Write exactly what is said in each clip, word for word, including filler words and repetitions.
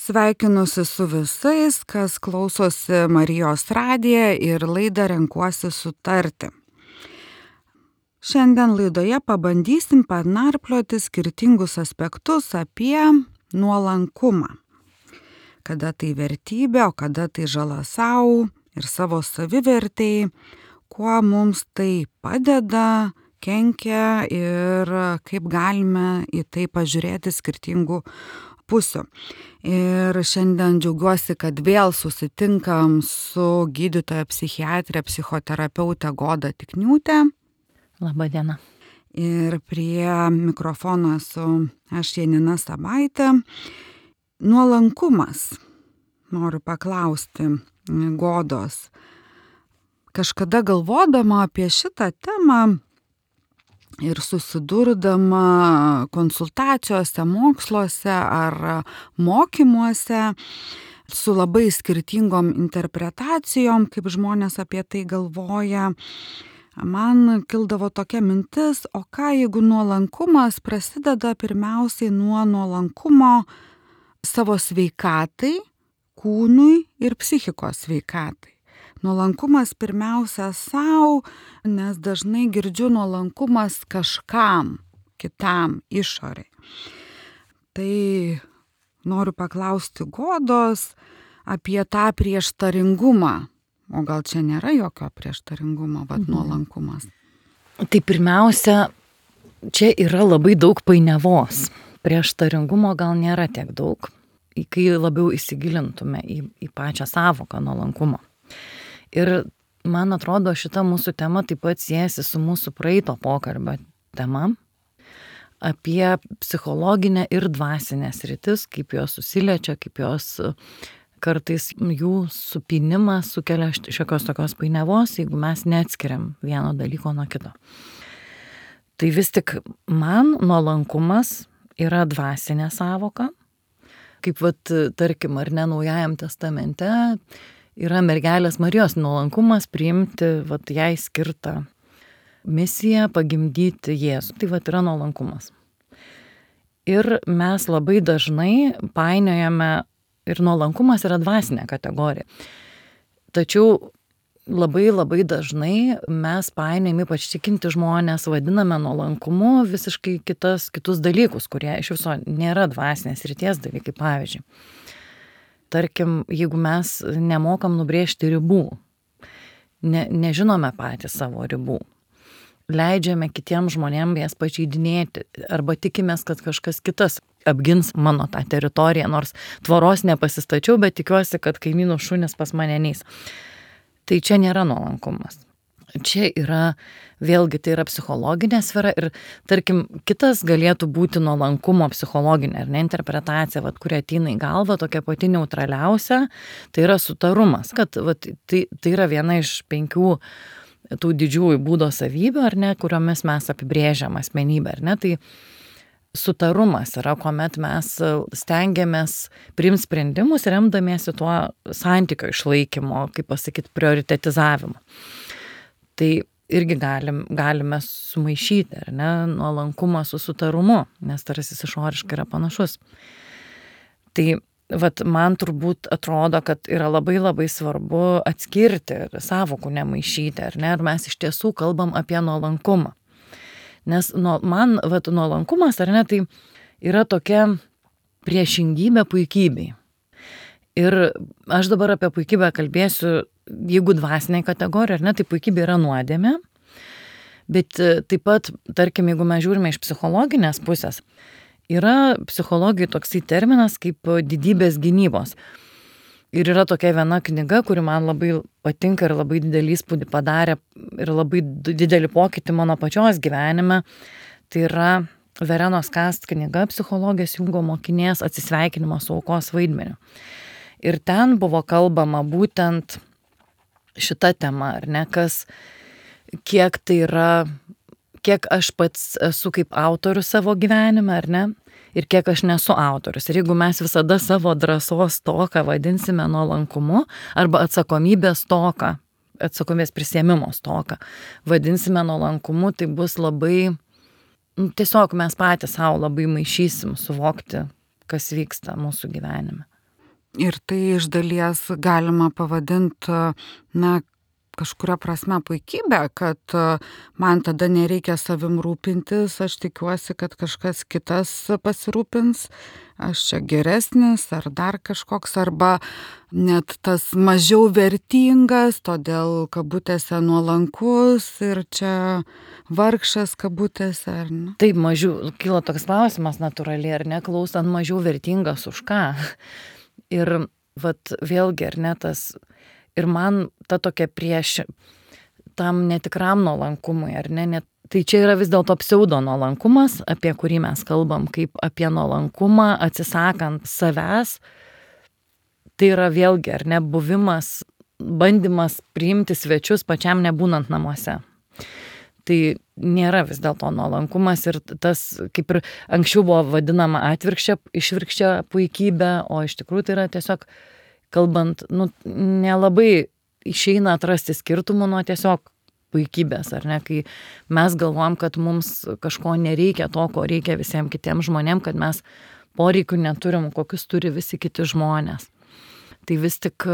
Sveikinusi su visais, kas klausosi Marijos radiją ir laidą Renkuosi sutarti. Šiandien laidoje pabandysim panarplioti skirtingus aspektus apie nuolankumą. Kada tai vertybė, o kada tai žala savo ir savo savivertei, kuo mums tai padeda, kenkia ir kaip galime į tai pažiūrėti skirtingų pusių. Ir šiandien džiaugiuosi, kad vėl susitinkam su gydytoja psichiatrė, psichoterapeutė Goda Tikniūtė. Labą dieną. Ir prie mikrofono esu aš Janina Sabaitė. Nuolankumas. Noriu paklausti Godos. Kažkada galvodama apie šitą temą ir susidurdama konsultacijose, moksluose ar mokymuose su labai skirtingom interpretacijom, kaip žmonės apie tai galvoja, man kildavo tokia mintis, o ką jeigu nuolankumas prasideda pirmiausiai nuo nuolankumo savo sveikatai, kūnui ir psichikos sveikatai. Nuolankumas pirmiausia savo, nes dažnai girdžiu nuolankumas kažkam, kitam, išoriai. Tai noriu paklausti Godos apie tą prieštaringumą. O gal čia nėra jokio prieštaringumo, bet nuolankumas? Tai pirmiausia, čia yra labai daug painiavos. Prieštaringumo gal nėra tiek daug, kai labiau įsigilintume į, į pačią sąvoką nuolankumo. Ir man atrodo, šita mūsų tema taip pat siejasi su mūsų praeito pokalbio tema apie psichologinę ir dvasinę sritis, kaip jos susiliečia, kaip jos kartais jų supynimas sukelia šiokios tokios painiavos, jeigu mes neatskiriam vieno dalyko nuo kito. Tai vis tik man nuolankumas yra dvasinė sąvoka, kaip vat, tarkim, ar ne Naujajam testamente yra mergelės Marijos nuolankumas priimti vat, jai skirtą misiją pagimdyti Jėzų. Tai vat, yra nuolankumas. Ir mes labai dažnai painiojame, ir nuolankumas yra dvasinė kategorija. Tačiau labai labai dažnai mes painiojame, ypač tikinti žmonės, vadiname nuolankumu visiškai kitas, kitus dalykus, kurie iš viso nėra dvasinės ryties dalykai, pavyzdžiui. Tarkim, jeigu mes nemokam nubrėžti ribų, ne, nežinome patys savo ribų, leidžiame kitiems žmonėms jas pažeidinėti arba tikimės, kad kažkas kitas apgins mano tą teritoriją, nors tvoros nepasistačiau, bet tikiuosi, kad kaimynų šunys pas mane neis. Tai čia nėra nuolankumas. Čia yra, vėlgi, tai yra psichologinė sfera ir, tarkim, kitas galėtų būti nuolankumo psichologinė, ar ne, interpretacija, vat, kuri ateina į galvą, tokia pati neutraliausia, tai yra sutarumas, kad vat, tai, tai yra viena iš penkių tų didžiųjų būdo savybių, ar ne, kuriomis mes apibrėžiam asmenybę, ar ne, tai sutarumas yra, kuomet mes stengiamės priimti sprendimus remdamiesi tuo santykio išlaikymo, kaip pasakyti, prioritetizavimo. Tai irgi galim, galime sumaišyti, ar ne, nuolankumą su sutarumu, nes tarsi išoriškai yra panašus. Tai vat, man turbūt atrodo, kad yra labai labai svarbu atskirti ir sąvokų nemaišyti, ar ne, ir mes iš tiesų kalbam apie nuolankumą. Nes nu, man vat, nuolankumas, ar ne, tai yra tokia priešingybė puikybei. Ir aš dabar apie puikybę kalbėsiu, jeigu dvasiniai kategorija, ar ne, tai puikybė yra nuodėmė, bet taip pat, tarkim, jeigu mes žiūrime iš psichologinės pusės, yra psichologijai toksai terminas kaip didybės gynybos. Ir yra tokia viena knyga, kuri man labai patinka ir labai didelį įspūdį padarė ir labai didelį pokytį mano pačios gyvenime. Tai yra Verenos Kast knyga psichologijos Jungo mokinės atsisveikinimas su aukos vaidmeniu. Ir ten buvo kalbama būtent šita tema, ar ne, kas, kiek tai yra, kiek aš pats esu kaip autorius savo gyvenime, ar ne, ir kiek aš nesu autorius. Ir jeigu mes visada savo drąsos stoką vadinsime nuolankumu arba atsakomybės stoką, atsakomybės prisiėmimo stoką vadinsime nuolankumu, tai bus labai, nu, tiesiog mes patys savo labai maišysim suvokti, kas vyksta mūsų gyvenime. Ir tai iš dalies galima pavadinti, na, kažkuria prasme puikybė, kad man tada nereikia savim rūpintis, aš tikiuosi, kad kažkas kitas pasirūpins, aš čia geresnis ar dar kažkoks, arba net tas mažiau vertingas, todėl kabutėse nuolankus ir čia vargšas kabutėse, ar ne? Taip, mažiau, kilo toks klausimas natūraliai, ar ne, klausant, mažiau vertingas už ką. Ir vat vėlgi, ar ne, tas ir man ta tokia prieš tam netikram nuolankumui, ar ne, net, tai čia yra vis dėlto pseudo nuolankumas, apie kurį mes kalbam, kaip apie nuolankumą, atsisakant savęs. Tai yra vėlgi, ar ne, buvimas, bandymas priimti svečius pačiam nebūnant namuose. Tai nėra vis dėlto nuolankumas ir tas, kaip ir anksčiau buvo vadinama atvirkščia, išvirkščia puikybė, o iš tikrųjų tai yra tiesiog kalbant, nu, nelabai išeina atrasti skirtumų nuo tiesiog puikybės, ar ne, kai mes galvom, kad mums kažko nereikia to, ko reikia visiems kitiems žmonėms, kad mes poreikių neturim, kokius turi visi kiti žmonės. Tai vis tik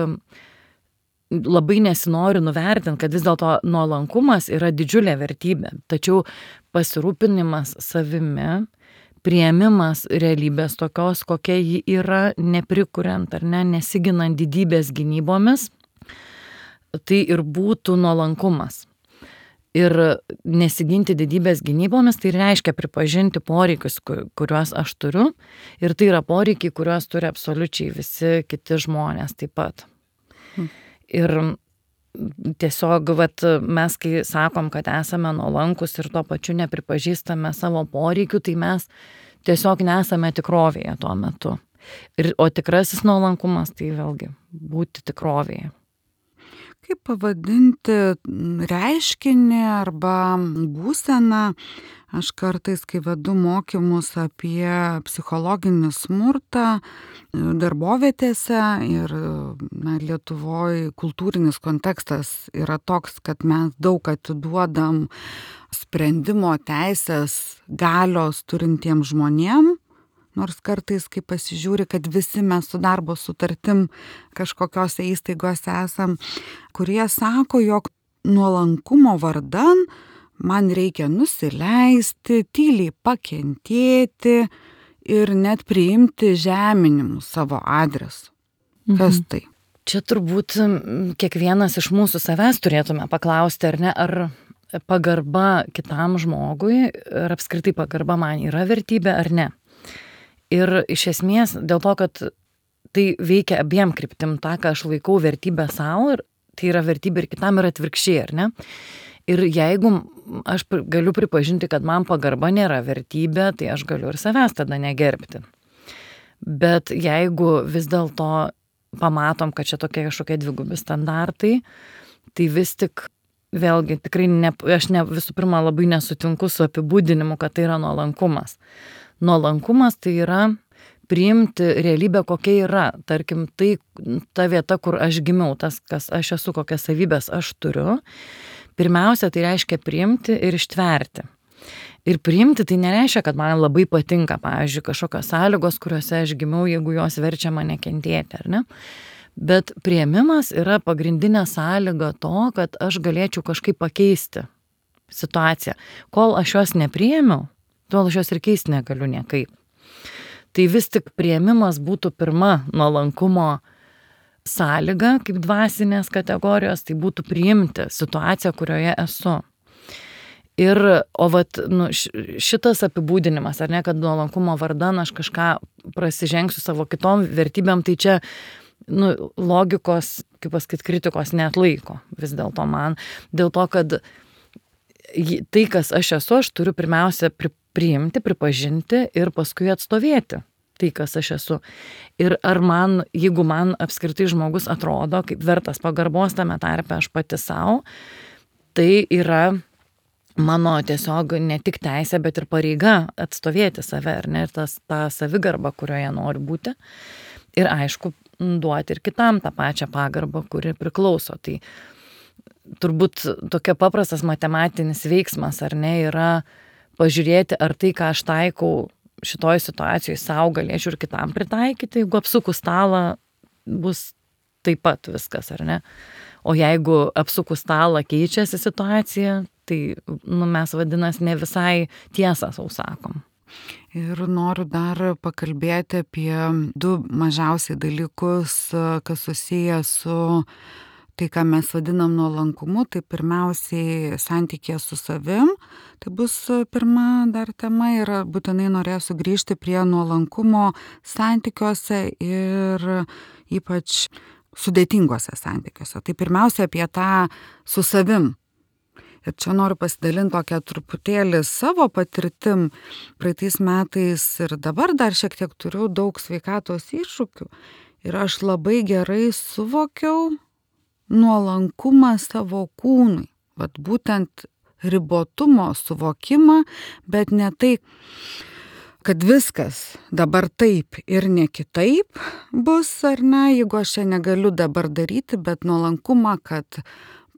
labai nesinori nuvertinti, kad vis dėlto nuolankumas yra didžiulė vertybė, tačiau pasirūpinimas savimi, priėmimas realybės tokios, kokia ji yra, neprikuriant ar ne, nesiginant didybės gynybomis, tai ir būtų nuolankumas. Ir nesiginti didybės gynybomis, tai reiškia pripažinti poreikius, kuriuos aš turiu, ir tai yra poreikiai, kuriuos turi absoliučiai visi kiti žmonės taip pat. Hmm. Ir tiesiog vat, mes, kai sakom, kad esame nuolankus ir tuo pačiu nepripažįstame savo poreikių, tai mes tiesiog nesame tikrovėje tuo metu. Ir, o tikrasis nuolankumas tai vėlgi būti tikrovėje. Kaip pavadinti reiškinį arba būseną? Aš kartais, kai vedu mokymus apie psichologinį smurtą darbovietėse ir na, Lietuvoje kultūrinis kontekstas yra toks, kad mes daug atiduodam sprendimo teisės galios turintiems žmonėm, nors kartais, kai pasižiūri, kad visi mes su darbo sutartim kažkokiose įstaigose esam, kurie sako, jog nuolankumo vardan man reikia nusileisti, tyliai pakentėti ir net priimti žeminimus savo adresu. Kas tai? Čia turbūt kiekvienas iš mūsų savęs turėtume paklausti, ar ne, ar pagarba kitam žmogui, ar apskritai pagarba man yra vertybė ar ne. Ir iš esmės dėl to, kad tai veikia abiem kryptim, tą, ką aš laikau vertybę savo, ir tai yra vertybė ir kitam, ir atvirkščiai, ar ne? Ir jeigu aš galiu pripažinti, kad man pagarba nėra vertybė, tai aš galiu ir savęs tada negerbti. Bet jeigu vis dėlto pamatom, kad čia tokie kažkokie dvigubi standartai, tai vis tik vėlgi tikrai ne, aš ne, visų pirma labai nesutinku su apibūdinimu, kad tai yra nuolankumas. Nuolankumas tai yra priimti realybę, kokia yra. Tarkim, tai ta vieta, kur aš gimiau, tas, kas aš esu, kokias savybės aš turiu. Pirmiausia, tai reiškia priimti ir ištverti. Ir priimti tai nereiškia, kad man labai patinka, pavyzdžiui, kažkokios sąlygos, kuriuose aš gimiau, jeigu jos verčia mane kentėti, ar ne? Bet priėmimas yra pagrindinė sąlyga to, kad aš galėčiau kažkaip pakeisti situaciją. Kol aš jos nepriėmiau, tol aš jos ir keisti negaliu niekaip. Tai vis tik priėmimas būtų pirma nuolankumo sąlyga, kaip dvasinės kategorijos, tai būtų priimti situaciją, kurioje esu. Ir, o vat, nu, šitas apibūdinimas, ar ne, kad nuolankumo vardan aš kažką prasižengsiu savo kitom vertybėm, tai čia, nu, logikos, kaip pasakyt, kritikos neatlaiko vis dėlto man. Dėl to, kad tai, kas aš esu, aš turiu pirmiausia priimti, pripažinti ir paskui atstovėti tai, kas aš esu. Ir ar man, jeigu man apskritai žmogus atrodo kaip vertas pagarbos tame tarpe aš pati savo, tai yra mano tiesiog ne tik teisė, bet ir pareiga atstovėti save, ar ne, ir tas, tą savigarbą, kurioje noriu būti. Ir aišku, duoti ir kitam tą pačią pagarbą, kuri priklauso. Tai turbūt tokia paprastas matematinis veiksmas, ar ne, yra pažiūrėti, ar tai, ką aš taikau šitoj situacijoje savo, galėčiau ir kitam pritaikyti. Jeigu apsuku stalą, bus taip pat viskas, ar ne? O jeigu apsukus stalą keičiasi situacija, tai nu, mes vadinas ne visai tiesą sau sakom. Ir noriu dar pakalbėti apie du mažiausiai dalykus, kas susiję su tai, ką mes vadinam nuolankumu. Tai pirmiausiai santykė su savim. Tai bus pirma dar tema ir būtinai norėsiu grįžti prie nuolankumo santykiuose ir ypač sudėtingose santykiuose. Tai pirmiausia apie tą su savim. Ir čia noriu pasidalinti tokią truputėlį savo patirtim. Praeitais metais ir dabar dar šiek tiek turiu daug sveikatos iššūkių. Ir aš labai gerai suvokiau nuolankumą savo kūnui. Vat būtent ribotumo suvokimą, bet ne tai, kad viskas dabar taip ir ne kitaip bus, ar ne, jeigu aš čia negaliu dabar daryti, bet nuolankumą, kad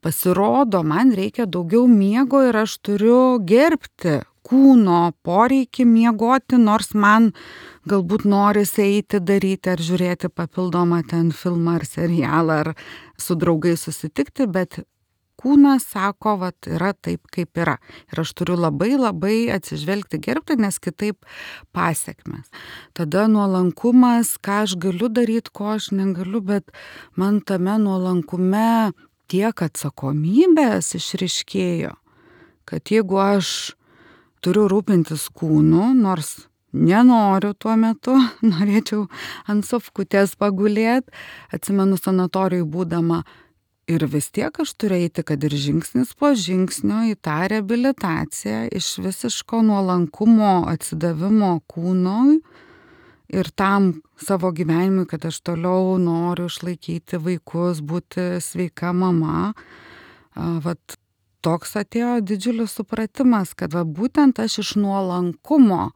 pasirodo, man reikia daugiau miego ir aš turiu gerbti kūno poreikį miegoti, nors man galbūt norisi eiti daryti ar žiūrėti papildomą ten filmą ar serialą ar su draugais susitikti, bet kūnas sako, vat, yra taip, kaip yra. Ir aš turiu labai labai atsižvelgti, gerbti, nes kitaip pasekmes. Tada nuolankumas, ką aš galiu daryti, ko aš negaliu, bet man tame nuolankume tiek atsakomybės išriškėjo, kad jeigu aš turiu rūpintis kūnu, nors nenoriu tuo metu, norėčiau ant sofkutės pagulėti, atsimenu sanatorijai būdama, ir vis tiek aš turiu eiti, kad ir žingsnis po žingsnio į tą reabilitaciją iš visiško nuolankumo atsidavimo kūnui ir tam savo gyvenimui, kad aš toliau noriu išlaikyti vaikus, būti sveika mama. Vat toks atėjo didžiulis supratimas, kad va, būtent aš iš nuolankumo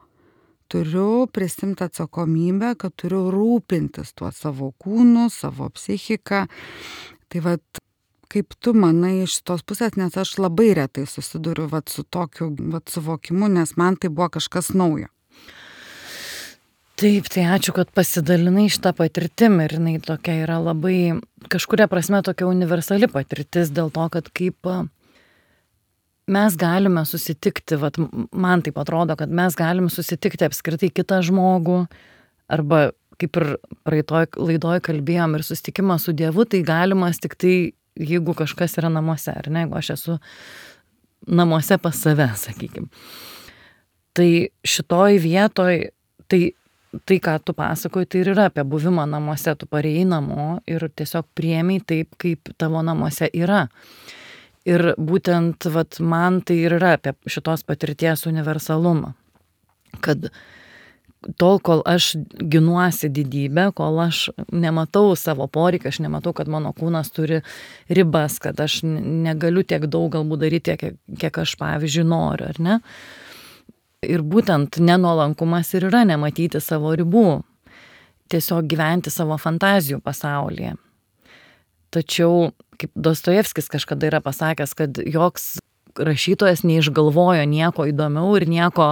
turiu prisimti atsakomybę, kad turiu rūpintis tuo savo kūnu, savo psichiką. Tai vat, kaip tu manai iš tos pusės, nes aš labai retai susiduriu vat, su tokiu vat, suvokimu, nes man tai buvo kažkas naujo. Taip, tai ačiū, kad pasidalinai šitą patirtim ir jinai tokia yra labai, kažkuria prasme tokia universali patirtis dėl to, kad kaip mes galime susitikti, vat, man taip atrodo, kad mes galime susitikti apskritai kitą žmogų, arba kaip ir praeitoj laidoj kalbėjom ir susitikimas su Dievu, tai galimas tik tai, jeigu kažkas yra namuose, ar ne, jeigu aš esu namuose pas save, sakykim. Tai šitoj vietoj, tai tai, ką tu pasakoji, tai ir yra apie buvimą namuose, tu parėjai namo ir tiesiog priėmei taip, kaip tavo namuose yra. Ir būtent vat, man tai ir yra apie šitos patirties universalumą. Kad tol, kol aš ginuosi didybę, kol aš nematau savo poreikį, aš nematau, kad mano kūnas turi ribas, kad aš negaliu tiek daug galbūt daryti, kiek, kiek aš, pavyzdžiui, noriu, ar ne? Ir būtent nenuolankumas ir yra nematyti savo ribų, tiesiog gyventi savo fantazijų pasaulyje. Tačiau, kaip Dostojevskis kažkada yra pasakęs, kad joks rašytojas neišgalvojo nieko įdomiau ir nieko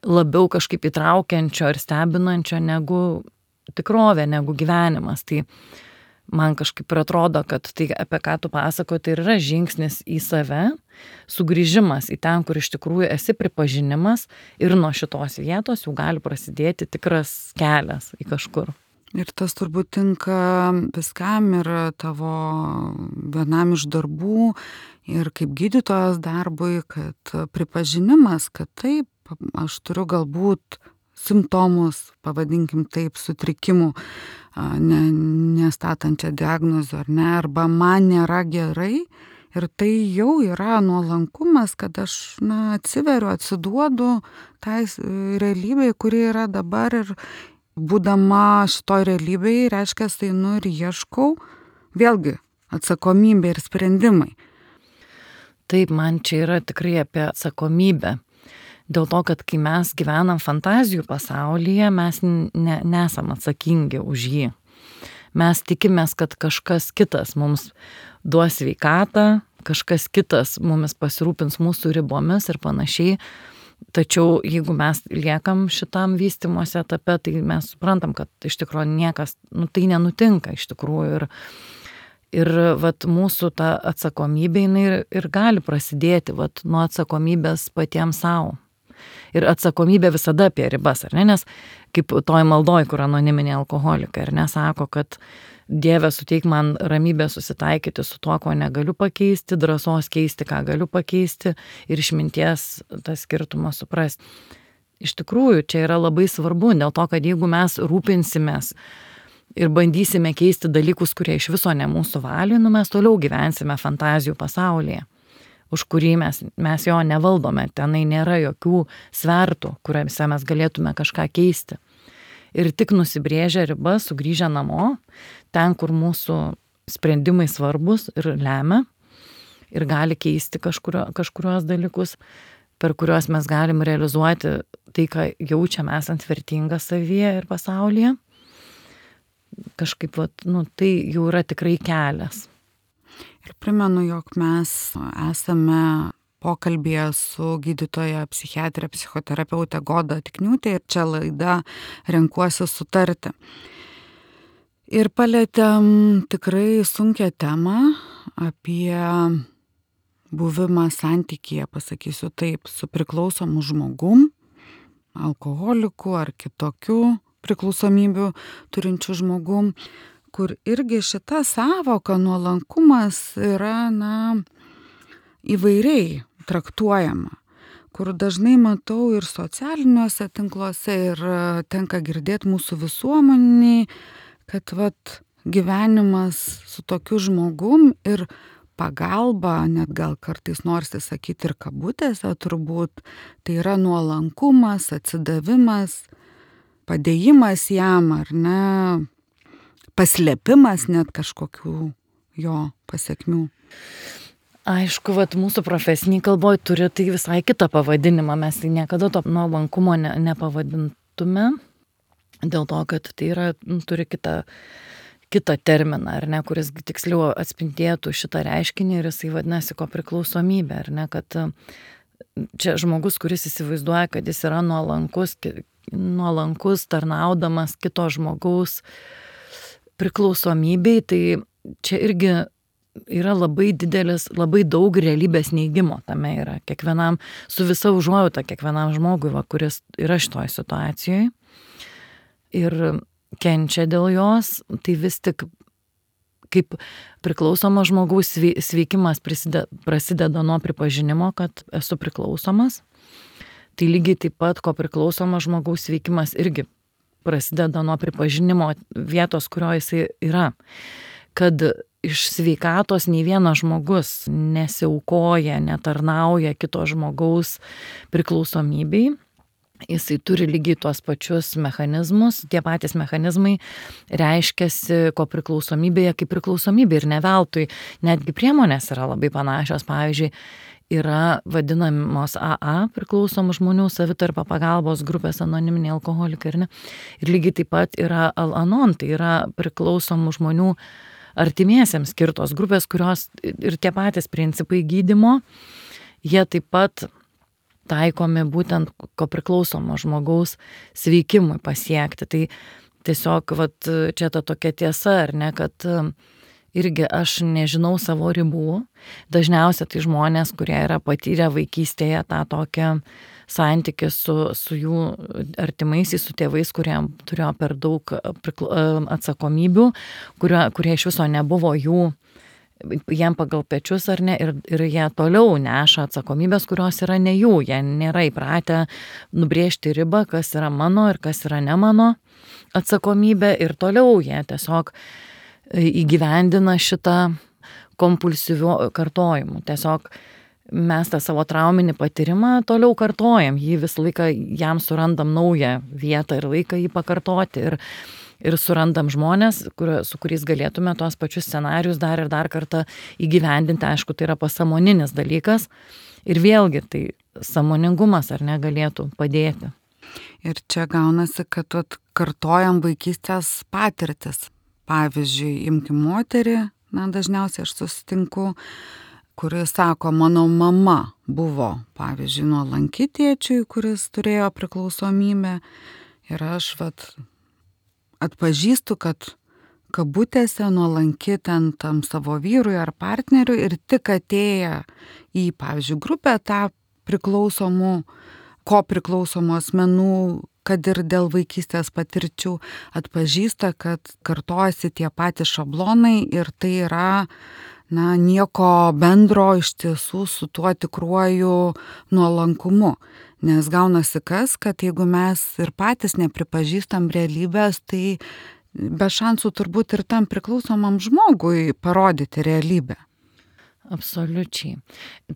labiau kažkaip įtraukiančio ir stebinančio negu tikrovė, negu gyvenimas. Tai man kažkaip ir atrodo, kad tai, apie ką tu pasako, tai yra žingsnis į save, sugrįžimas į ten, kur iš tikrųjų esi, pripažinimas ir nuo šitos vietos jau gali prasidėti tikras kelias į kažkur. Ir tas turbūt tinka viskam ir tavo vienam iš darbų ir kaip gydytojos darbui, kad pripažinimas, kad taip, aš turiu galbūt simptomus, pavadinkim taip, sutrikimų, ne, nestatančią diagnozę ar ne, arba man nėra gerai. Ir tai jau yra nuolankumas, kad aš na, atsiveriu, atsiduodu tai realybei, kuri yra dabar ir būdama šitoj realybėje, reiškia, tai nu ir ieškau, vėlgi, atsakomybė ir sprendimai. Taip, man čia yra tikrai apie atsakomybę. Dėl to, kad kai mes gyvenam fantazijų pasaulyje, mes ne, nesam atsakingi už jį. Mes tikimės, kad kažkas kitas mums duos sveikatą, kažkas kitas mumis pasirūpins mūsų ribomis ir panašiai. Tačiau jeigu mes liekam šitam vystymosi etape, tai mes suprantam, kad iš tikrųjų niekas, nu, tai nenutinka iš tikrųjų. Ir, ir vat, mūsų ta atsakomybė jinai ir, ir gali prasidėti vat, nuo atsakomybės patiems savo. Ir atsakomybė visada apie ribas, ar ne? Nes kaip toj maldoj, kur anoniminiai alkoholikai, ar ne, sako, kad Dieve suteik man ramybę susitaikyti su tuo, ko negaliu pakeisti, drąsos keisti, ką galiu pakeisti ir išminties tą skirtumą suprasti. Iš tikrųjų, čia yra labai svarbu, dėl to, kad jeigu mes rūpinsimės ir bandysime keisti dalykus, kurie iš viso ne mūsų valiui, nu mes toliau gyvensime fantazijų pasaulyje, už kurį mes, mes jo nevaldome, tenai nėra jokių svertų, kuriuose mes galėtume kažką keisti. Ir tik nusibrėžę ribas, sugrįžę namo, ten, kur mūsų sprendimai svarbus ir lemia, ir gali keisti kažkurio, kažkurios dalykus, per kuriuos mes galim realizuoti tai, ką jaučiam esant vertinga savyje ir pasaulyje. Kažkaip, vat, nu, tai jau yra tikrai kelias. Ir primenu, jog mes esame pokalbėje su gydytoja psichiatrė, psichoterapeutė Goda Tikniūtė ir čia laida Renkuosi sutarti. Ir palėtėm tikrai sunkią temą apie buvimą santykyje, pasakysiu taip, su priklausomu žmogum, alkoholiku ar kitokiu priklausomybių turinčiu žmogum, kur irgi šita sąvoka nuolankumas yra, na, įvairiai traktuojama, kur dažnai matau ir socialiniuose tinkluose ir tenka girdėti mūsų visuomeniai, kad vat gyvenimas su tokiu žmogum ir pagalba, net gal kartais norisi sakyti ir kabutėse turbūt, tai yra nuolankumas, atsidavimas, padėjimas jam ar ne, paslėpimas net kažkokių jo pasiekmių. Aišku, vat, mūsų profesiniai kalboj turi tai visai kitą pavadinimą, mes tai niekada to nuolankumo ne, nepavadintume, dėl to, kad tai yra, nu, turi kitą, kitą terminą, ar ne, kuris tiksliau atspindėtų šitą reiškinį ir jisai vadinasi kopriklausomybė, ar ne, kad čia žmogus, kuris įsivaizduoja, kad jis yra nuolankus, nuolankus tarnaudamas kito žmogaus priklausomybei, tai čia irgi yra labai didelis, labai daug realybės neigimo tame yra. Kiekvienam, su visa užuojauta kiekvienam žmogui, va, kuris yra šitoj situacijoje ir kenčia dėl jos, tai vis tik kaip priklausomo žmogaus sveikimas prasideda, prasideda nuo pripažinimo, kad esu priklausomas. Tai lygiai taip pat, ko priklausomo žmogaus sveikimas irgi prasideda nuo pripažinimo vietos, kurioje jisai yra. Kad iš sveikatos nei vienas žmogus nesiaukoja, netarnauja kito žmogaus priklausomybei. Jisai turi lygiai tuos pačius mechanizmus, tie patys mechanizmai reiškiasi ko priklausomybėje kaip priklausomybė ir ne veltui. Netgi priemonės yra labai panašios, pavyzdžiui, yra vadinamos A A priklausomų žmonių savitarpio pagalbos grupės anoniminiai alkoholikai, ar ne? Ir lygiai taip pat yra Al-Anon, tai yra priklausomų žmonių artimiesiems skirtos grupės, kurios ir tie patys principai gydymo, jie taip pat taikomi būtent ko priklausomo žmogaus sveikimui pasiekti. Tai tiesiog vat, čia ta tokia tiesa, ar ne, kad irgi aš nežinau savo ribų. Dažniausiai tai žmonės, kurie yra patyrę vaikystėje tą tokią santykį su, su jų artimaisiais, su tėvais, kurie turėjo per daug atsakomybių, kurie, kurie iš viso nebuvo jų, jiem pagal pečius ar ne, ir, ir jie toliau neša atsakomybės, kurios yra ne jų, jie nėra įpratę nubrėžti ribą, kas yra mano ir kas yra ne mano atsakomybė, ir toliau jie tiesiog įgyvendina šitą kompulsyvių kartojimų. Tiesiog mes tą savo trauminį patyrimą toliau kartojam, jį visą laiką jam surandam naują vietą ir laiką jį pakartoti ir, ir surandam žmonės, kur, su kuriais galėtume tos pačius scenarius dar ir dar kartą įgyvendinti. Aišku, tai yra pasąmoninis dalykas ir vėlgi tai sąmoningumas ar negalėtų padėti. Ir čia gaunasi, kad vat, kartojam vaikystės patirtis. Pavyzdžiui, imkim moterį, na, dažniausiai aš susitinku, kuris sako, mano mama buvo, pavyzdžiui, nuolanki tėčiui, kuris turėjo priklausomybę. Ir aš vat atpažįstu, kad kabutėse nuolanki ten tam savo vyrui ar partneriui ir tik atėję į, pavyzdžiui, grupę tą priklausomų, ko priklausomų asmenų, kad ir dėl vaikystės patirčių, atpažįsta, kad kartojasi tie patys šablonai ir tai yra, na, nieko bendro iš tiesų su tuo tikruoju nuolankumu. Nes gaunasi kas, kad jeigu mes ir patys nepripažįstam realybės, tai be šansų turbūt ir tam priklausomam žmogui parodyti realybę. Absoliučiai.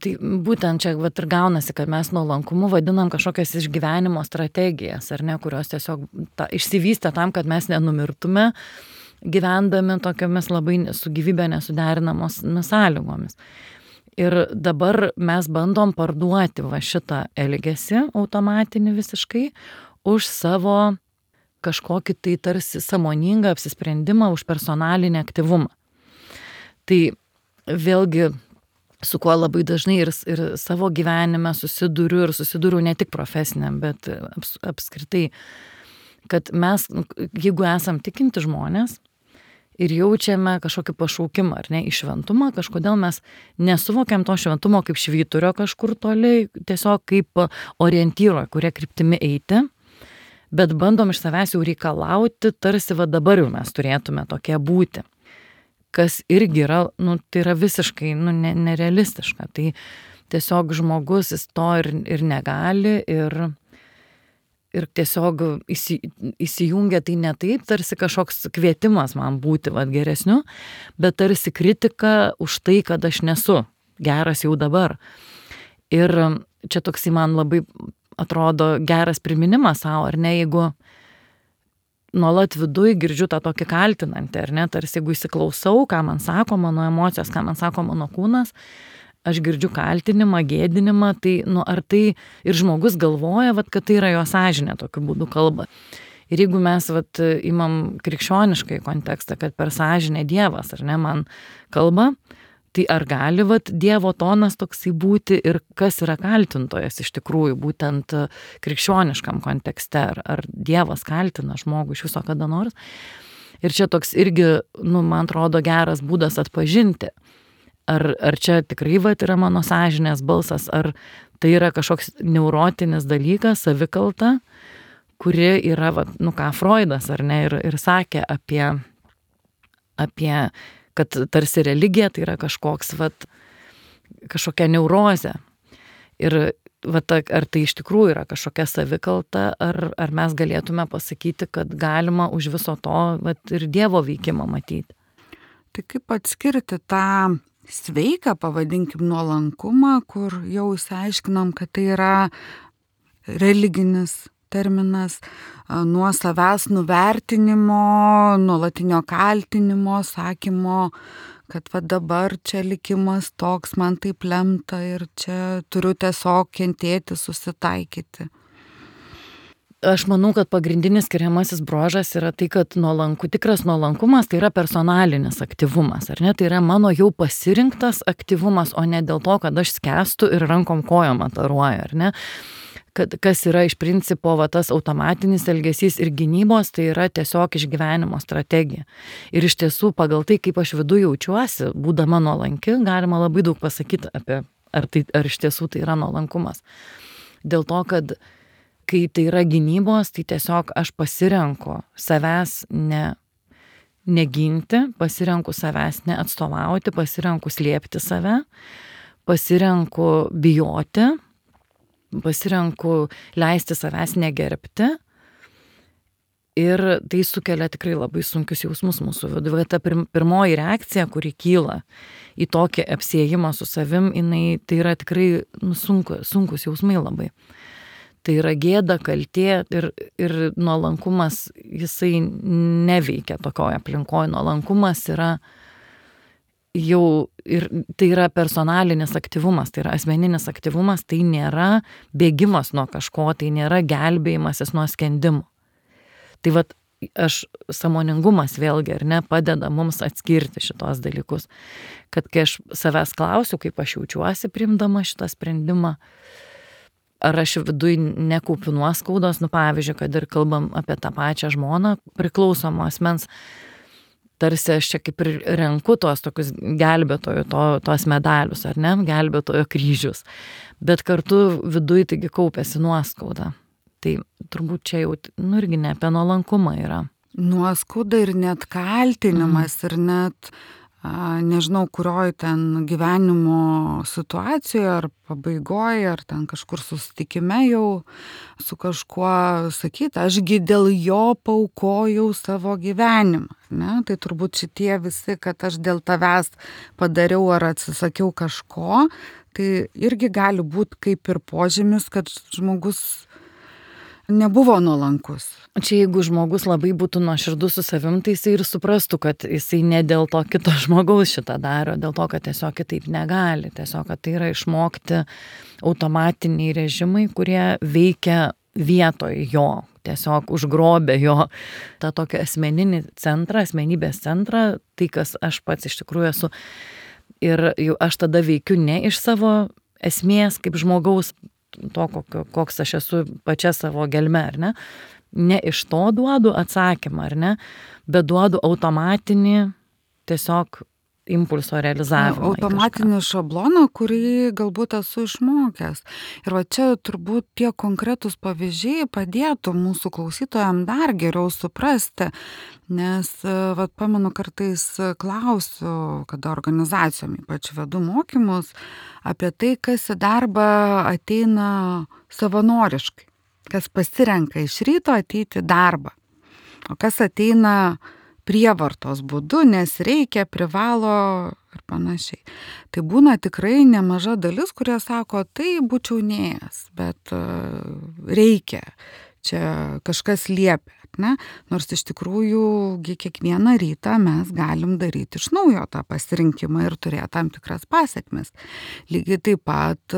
Tai būtent čia vat ir gaunasi, kad mes nuolankumu vadinam kažkokias išgyvenimo strategijas, ar ne, kurios tiesiog ta, išsivystė tam, kad mes nenumirtume, gyvendami tokiamis labai su gyvybė nesuderinamos sąlygomis. Ir dabar mes bandom parduoti va šitą elgesį automatinį visiškai už savo kažkokį tai tarsi sąmoningą apsisprendimą, už personalinį aktyvumą. Tai vėlgi, su kuo labai dažnai ir, ir savo gyvenime susiduriu ir susiduriu ne tik profesiniam, bet aps, apskritai, kad mes, jeigu esam tikinti žmonės ir jaučiame kažkokį pašaukimą ar ne, į šventumą, kažkodėl mes nesuvokiam to šventumo kaip švyturio kažkur toli, tiesiog kaip orientyro, kurie kryptimi eiti, bet bandom iš savęs jau reikalauti, tarsi va dabar jau mes turėtume tokie būti. Kas irgi yra, nu, tai yra visiškai nu, ne, nerealistiška. Tai tiesiog žmogus jis to ir, ir negali ir, ir tiesiog įsi, įsijungia tai ne taip, tarsi kažkoks kvietimas man būti vat, geresniu, bet tarsi kritika už tai, kad aš nesu geras jau dabar. Ir čia toksai man labai atrodo geras priminimas savo, ar ne, jeigu nuolat viduj girdžiu tą tokį kaltinantį, ar ne, tarsi jeigu įsiklausau, ką man sako mano emocijos, ką man sako mano kūnas, aš girdžiu kaltinimą, gėdinimą, tai, nu, ar tai ir žmogus galvoja, vat, kad tai yra jo sąžinė tokiu būdu kalba. Ir jeigu mes vat, imam krikščioniškai kontekstą, kad per sąžinę Dievas, ar ne, man kalba, tai ar gali vat, Dievo tonas toksai būti ir kas yra kaltintojas iš tikrųjų, būtent krikščioniškam kontekste, ar, ar Dievas kaltina žmogų iš viso kada nors. Ir čia toks irgi, nu, man atrodo, geras būdas atpažinti, ar, ar čia tikrai vat, yra mano sąžinės balsas, ar tai yra kažkoks neurotinis dalykas, savikalta, kuri yra, vat, nu ką, Freudas, ar ne, ir, ir sakė apie, apie kad tarsi religija tai yra kažkoks, vat, kažkokia neurozė. Ir vat, ar tai iš tikrųjų yra kažkokia savikalta, ar, ar mes galėtume pasakyti, kad galima už viso to vat, ir Dievo veikimą matyti. Tai kaip atskirti tą sveiką, pavadinkim, nuolankumą, kur jau išsiaiškinom, kad tai yra religinis terminas, nuo savęs nuvertinimo, nuolatinio kaltinimo, sakymo, kad va dabar čia likimas toks, man taip lemta ir čia turiu tiesiog kentėti, susitaikyti. Aš manau, kad pagrindinis skiriamasis bruožas yra tai, kad nuolanku, tikras nuolankumas tai yra personalinis aktyvumas, ar ne? Tai yra mano jau pasirinktas aktyvumas, o ne dėl to, kad aš skęstu ir rankom kojom ataruoju, ar ne? Kad, kas yra iš principo va, tas automatinis elgesys ir gynybos, tai yra tiesiog išgyvenimo strategija. Ir iš tiesų pagal tai, kaip aš viduje jaučiuosi, būdama nuolanki, galima labai daug pasakyti apie, ar, tai, ar iš tiesų tai yra nuolankumas. Dėl to, kad kai tai yra gynybos, tai tiesiog aš pasirenku savęs ne, neginti, pasirenku savęs neatstovauti, pasirenku slėpti save, pasirenku bijoti, pasirenku leisti savęs negerbti ir tai sukelia tikrai labai sunkius jausmus mūsų viduje. Ta pirmoji reakcija, kuri kyla į tokį apsiėjimą su savim, jinai, tai yra tikrai nu, sunku, sunkus jausmai labai. Tai yra gėda, kaltė ir, ir nuolankumas, jisai neveikia tokioje aplinkoje. Nuolankumas yra jau ir tai yra personalinis aktyvumas, tai yra asmeninis aktyvumas, tai nėra bėgimas nuo kažko, tai nėra gelbėjimasis nuo skendimo. Tai vat aš sąmoningumas vėlgi, ar ne, padeda mums atskirti šitos dalykus. Kad kai aš savęs klausiu, kaip aš jaučiuosi priimdama šitą sprendimą, ar aš viduj nekaupiu nuoskaudos, nu pavyzdžiui, kad ir kalbam apie tą pačią žmoną, priklausomo asmens, tarsi aš čia kaip ir renku tos tokius gelbėtojų, to, tos medalius, ar ne, gelbėtojo kryžius, bet kartu viduj taigi kaupiasi nuoskauda. Tai turbūt čia jau, nu irgi ne apie nuolankumą yra. Nuoskauda ir net kaltinimas mm. ir net, a, nežinau, kurioj ten gyvenimo situacijoje ar pabaigoje, ar ten kažkur susitikime jau su kažkuo sakyti, ašgi dėl jo paaukojau savo gyvenimą. Ne? Tai turbūt šitie visi, kad aš dėl tavęs padariau ar atsisakiau kažko, tai irgi gali būti kaip ir požymis, kad žmogus nebuvo nuolankus. Čia jeigu žmogus labai būtų nuoširdus su savim, tai jisai ir suprastų, kad jisai ne dėl to kito žmogaus šitą daro, dėl to, kad tiesiog kitaip negali. Tiesiog, kad tai yra išmokti automatiniai režimai, kurie veikia vietoj jo, tiesiog užgrobė jo tą tokį asmeninį centrą, asmenybės centrą, tai kas aš pats iš tikrųjų esu. Ir jau aš tada veikiu ne iš savo esmės kaip žmogaus, to, koks aš esu pačia savo gelme, ar ne? Ne iš to duodu atsakymą, ar ne? Bet duodu automatinį tiesiog impulso realizavimą. Automatinį šabloną, kurį galbūt esu išmokęs. Ir va čia turbūt tie konkretūs pavyzdžiai padėtų mūsų klausytojams dar geriau suprasti, nes va pamenu kartais klausiu, kada organizacijom ypač vedu mokymus, apie tai, kas į darbą ateina savanoriškai, kas pasirenka iš ryto ateiti į darbą, o kas ateina prievartos būdu, nes reikia, privalo ir panašiai. Tai būna tikrai nemaža dalis, kurie sako, tai būčiau neėjęs, bet reikia, čia kažkas liepia. Ne? Nors iš tikrųjų kiekvieną rytą mes galim daryti iš naujo tą pasirinkimą ir turėti tam tikras pasekmes. Lygiai taip pat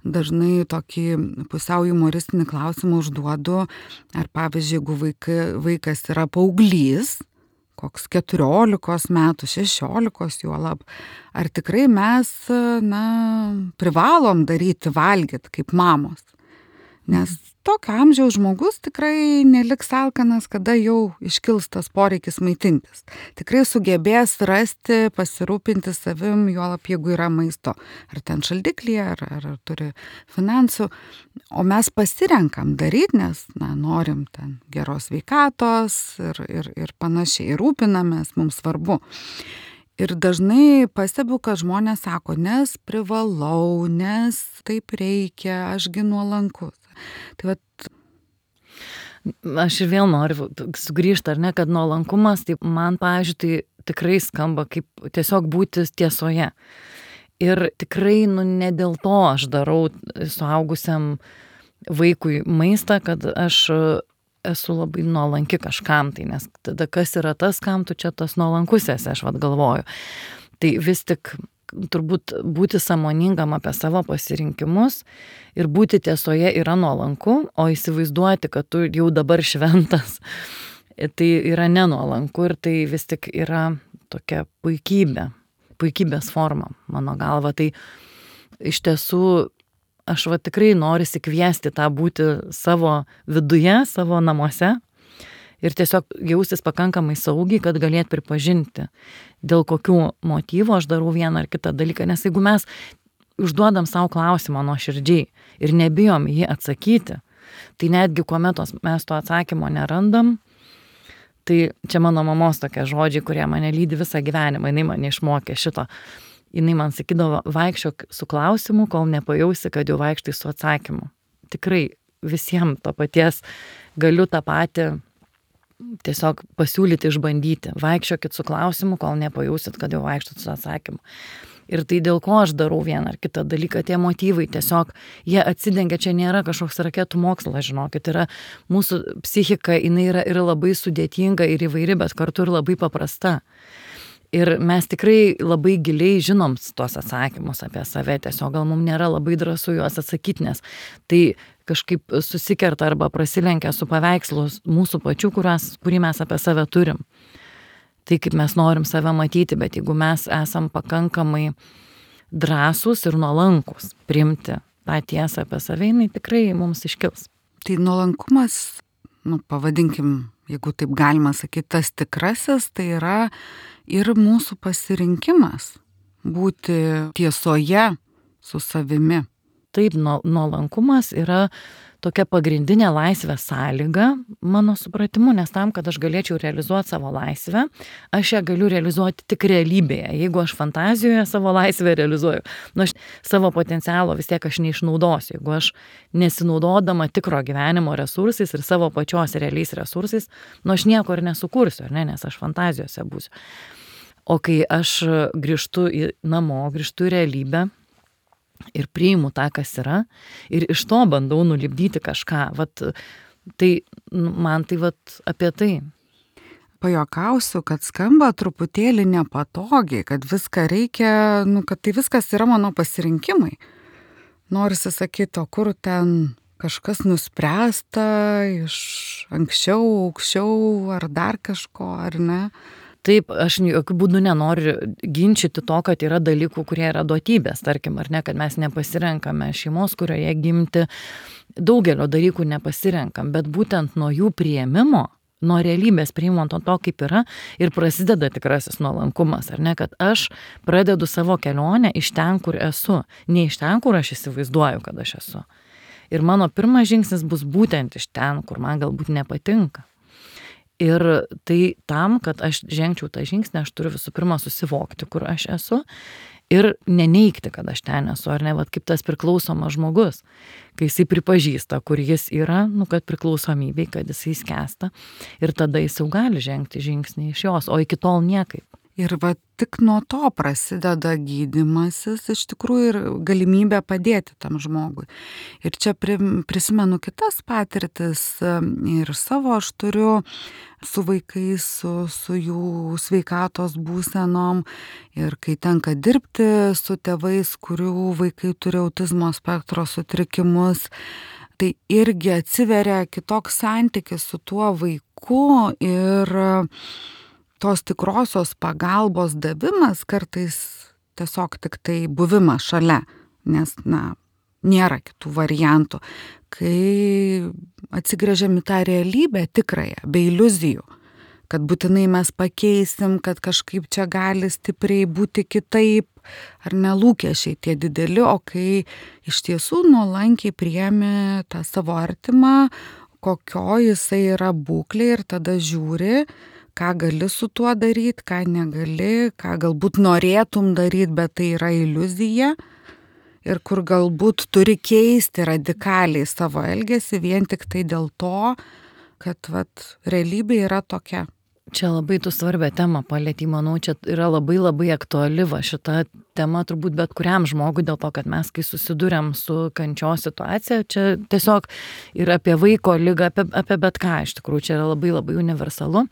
dažnai tokį pusiau humoristinį klausimą užduodu, ar pavyzdžiui, jeigu vaikai, vaikas yra paauglys, koks keturiolikos metų, šešiolikos juolab, ar tikrai mes na, privalom daryti valgyti kaip mamos. Nes tokio amžiaus žmogus tikrai neliks alkanas, kada jau iškils tas poreikis maitintis. Tikrai sugebės rasti, pasirūpinti savim, juolab jeigu yra maisto. Ar ten šaldiklyje, ar, ar, ar turi finansų. O mes pasirenkam daryti, nes na, norim ten geros sveikatos ir, ir, ir panašiai. Ir rūpinamės, mums svarbu. Ir dažnai pastebiu, kad žmonės sako, nes privalau, nes taip reikia, ašgi nuolankus. Tai vat... Aš ir vėl noriu sugrįžti, ar ne, kad nuolankumas, tai man, pavyzdžiui, tai tikrai skamba kaip tiesiog būti tiesoje. Ir tikrai, nu, ne dėl to aš darau suaugusiam vaikui maistą, kad aš esu labai nuolanki kažkam, tai nes tada kas yra tas, kam tu čia tas nuolankus esi, aš vat galvoju. Tai vis tik turbūt būti sąmoningam apie savo pasirinkimus ir būti tiesoje yra nuolanku, o įsivaizduoti, kad tu jau dabar šventas, tai yra nenuolanku ir tai vis tik yra tokia puikybė, puikybės forma, mano galva. Tai iš tiesų aš va tikrai noriu kviesti tą būti savo viduje, savo namuose ir tiesiog jaustis pakankamai saugiai, kad galėt pripažinti, dėl kokių motyvų aš darau vieną ar kitą dalyką. Nes jeigu mes užduodam savo klausimą nuoširdžiai ir nebijom jį atsakyti, tai netgi kuomet mes to atsakymo nerandam, tai čia mano mamos tokie žodžiai, kurie mane lydi visą gyvenimą, jinai mane išmokė šito. Jinai man sakydavo, vaikščiok su klausimu, kol nepajausi, kad jau vaikštai su atsakymu. Tikrai visiems to paties galiu tą patį tiesiog pasiūlyti, išbandyti. Vaikščiokit su klausimu, kol nepajausit, kad jau vaikštat su atsakymu. Ir tai dėl ko aš darau vieną ar kitą dalyką, tie motyvai tiesiog, jie atsidengia, čia nėra kažkoks raketų mokslas, žinokit, yra mūsų psichika, jinai yra, yra labai sudėtinga ir įvairi, bet kartu ir labai paprasta. Ir mes tikrai labai giliai žinom tuos atsakymus apie save, tiesiog gal mums nėra labai drąsu juos atsakyti, nes tai kažkaip susikerta arba prasilenkia su paveikslu mūsų pačių, kurias, kurį mes apie save turim. Tai kaip mes norim save matyti, bet jeigu mes esam pakankamai drąsūs ir nuolankus priimti tą tiesą apie save, jinai tikrai mums iškils. Tai nuolankumas, nu, pavadinkim, jeigu taip galima sakyti, tas tikrasis, tai yra ir mūsų pasirinkimas būti tiesoje su savimi. Taip, nuolankumas yra tokia pagrindinė laisvės sąlyga, mano supratimu, nes tam, kad aš galėčiau realizuoti savo laisvę, aš ją galiu realizuoti tik realybėje. Jeigu aš fantazijoje savo laisvę realizuoju, nu aš savo potencialo vis tiek aš neišnaudosiu. Jeigu aš nesinaudodama tikro gyvenimo resursais ir savo pačios realiais resursais, nu aš nieko ir nesukursiu, ar ne, nes aš fantazijose būsiu. O kai aš grįžtu į namo, grįžtu į realybę, ir priimu tą, kas yra, ir iš to bandau nulipdyti kažką. Vat, tai man tai vat apie tai. Pajuokausiu, kad skamba truputėlį nepatogiai, kad viską reikia, nu, kad tai viskas yra mano pasirinkimai. Norisi sakyti, o kur ten kažkas nuspręsta iš anksčiau, aukščiau, ar dar kažko, ar ne? Taip, aš jokių būdų nenoriu ginčyti to, kad yra dalykų, kurie yra duotybės, tarkim, ar ne, kad mes nepasirenkame šeimos, kurioje gimti, daugelio dalykų nepasirenkam, bet būtent nuo jų priėmimo, nuo realybės priėmimo to, to, kaip yra, ir prasideda tikrasis nuolankumas, ar ne, kad aš pradedu savo kelionę iš ten, kur esu, ne iš ten, kur aš įsivaizduoju, kad aš esu. Ir mano pirmas žingsnis bus būtent iš ten, kur man galbūt nepatinka. Ir tai tam, kad aš žengčiau tą žingsnį, aš turiu visų pirma susivokti, kur aš esu ir neneigti, kad aš ten esu, ar ne, vat kaip tas priklausomas žmogus, kai jisai pripažįsta, kur jis yra, nu, kad priklausomybei, kad jisai skęsta ir tada jis jau gali žengti žingsnį iš jos, o iki tol niekaip. Ir va tik nuo to prasideda gydymasis, iš tikrųjų, ir galimybė padėti tam žmogui. Ir čia prisimenu kitas patirtis ir savo aš turiu su vaikais, su, su jų sveikatos būsenom. Ir kai tenka dirbti su tėvais, kurių vaikai turi autizmo spektro sutrikimus, tai irgi atsiveria kitoks santykis su tuo vaiku ir tos tikrosios pagalbos davimas kartais tiesiog tik tai buvimas šalia, nes, na, nėra kitų variantų. Kai atsigręžiam į tą realybę tikrąją, be iliuzijų, kad būtinai mes pakeisim, kad kažkaip čia gali stipriai būti kitaip, ar nelūkesčiai tie dideli, o kai iš tiesų nuolankiai priemi tą savo artimą, kokio jisai yra būklė ir tada žiūri, ką gali su tuo daryti, ką negali, ką galbūt norėtum daryti, bet tai yra iliuzija ir kur galbūt turi keisti radikaliai savo elgesį vien tik tai dėl to, kad vat, realybė yra tokia. Čia labai tu svarbę temą palietei, manau, čia yra labai labai aktuali va šita tema turbūt bet kuriam žmogui, dėl to, kad mes, kai susiduriam su kančios situacija, čia tiesiog ir apie vaiko ligą, apie, apie bet ką, iš tikrųjų, čia yra labai labai universalu.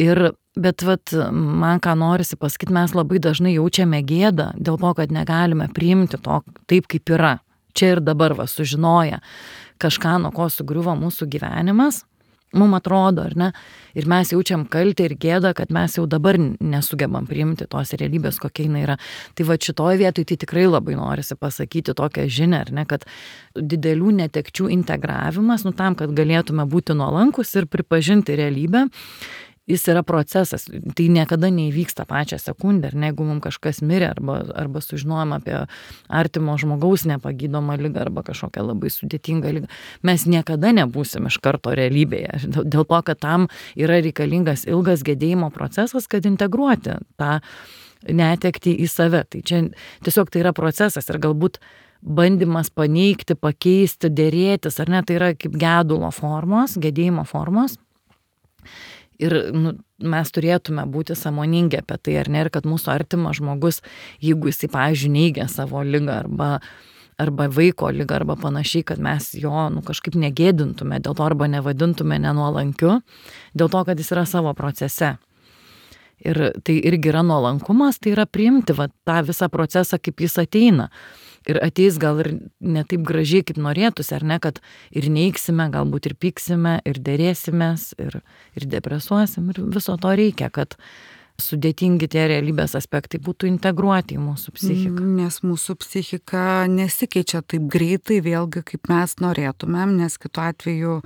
Ir, bet vat, man ką norisi pasakyti, mes labai dažnai jaučiame gėdą dėl to, kad negalime priimti to taip, kaip yra. Čia ir dabar va sužinoja kažką, nuo ko sugriuvo mūsų gyvenimas. Mums atrodo, ar ne? Ir mes jaučiam kaltę ir gėdą, kad mes jau dabar nesugebam priimti tos realybės, kokia jinai yra. Tai va šitoj vietoj tai tikrai labai norisi pasakyti tokią žinią, ar ne, kad didelių netekčių integravimas, nu tam, kad galėtume būti nuolankus ir pripažinti realybę, jis yra procesas, tai niekada neįvyksta pačią sekundę, ir jeigu mums kažkas mirė arba, arba sužinojom apie artimo žmogaus nepagydomą ligą arba kažkokią labai sudėtingą ligą, mes niekada nebūsim iš karto realybėje, dėl to, kad tam yra reikalingas ilgas gedėjimo procesas, kad integruoti tą netektį į save. Tai čia tiesiog tai yra procesas ir galbūt bandymas paneigti, pakeisti, dėrėtis, ar ne, tai yra kaip gedulo formos, gedėjimo formos. Ir nu, mes turėtume būti sąmoningi apie tai, ar ne, ir kad mūsų artimas žmogus, jeigu jisai, pavyzdžiui, neigia savo ligą arba, arba vaiko ligą arba panašiai, kad mes jo nu, kažkaip negėdintume, dėl to arba nevadintume nenuolankiu, dėl to, kad jis yra savo procese. Ir tai irgi yra nuolankumas, tai yra priimti va, tą visą procesą, kaip jis ateina. ir ateis gal ir ne taip gražiai, kaip norėtųsi, ar ne, kad ir neiksime, galbūt ir pyksime, ir dėrėsimės, ir, ir depresuosim, ir viso to reikia, kad sudėtingi tie realybės aspektai būtų integruoti į mūsų psichiką. Nes mūsų psichika nesikeičia taip greitai, vėlgi kaip mes norėtumėm, nes kitu atveju